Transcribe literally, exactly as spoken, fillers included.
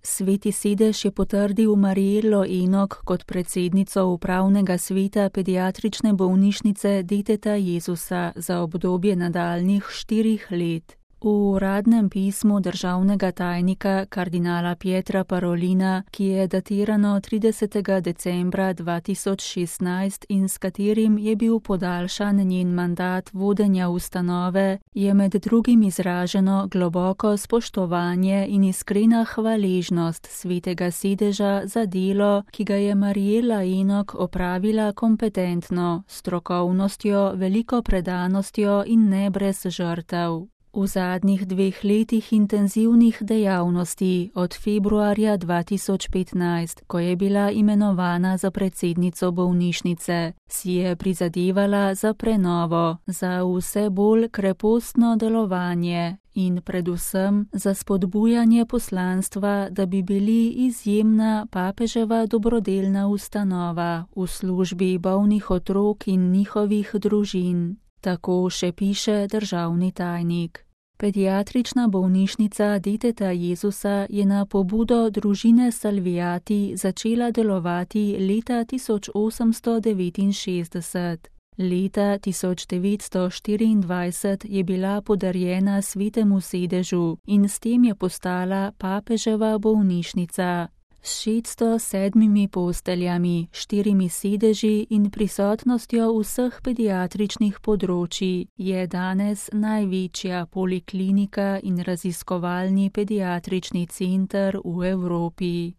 Sveti sedež je potrdil Marijelo Enok kot predsednico upravnega sveta pediatrične bolnišnice Deteta Jezusa za obdobje nadaljnjih štirih let. V uradnem pismu državnega tajnika kardinala Pietra Parolina, ki je datirano tridesetega decembra dva tisoč šestnajst in s katerim je bil podaljšan njen mandat vodenja ustanove, je med drugim izraženo globoko spoštovanje in iskrena hvaležnost Svetega sedeža za delo, ki ga je Marijela Enok opravila kompetentno, s strokovnostjo, veliko predanostjo in ne brez žrtev. V zadnjih dveh letih intenzivnih dejavnosti od februarja dva tisoč petnajst, ko je bila imenovana za predsednico bolnišnice, si je prizadevala za prenovo, za vse bolj krepostno delovanje in predvsem za spodbujanje poslanstva, da bi bili izjemna papeževa dobrodelna ustanova v službi bolnih otrok in njihovih družin. Tako še piše državni tajnik. Pediatrična bolnišnica Deteta Jezusa je na pobudo družine Salviati začela delovati leta tisoč osemsto devetinšestdeset. Leta tisoč devetsto štiriindvajset je bila podarjena Svetemu sedežu in s tem je postala papeževa bolnišnica. S šeststo sedmimi posteljami, štirimi sedeži in prisotnostjo vseh pediatričnih področij je danes največja poliklinika in raziskovalni pediatrični center v Evropi.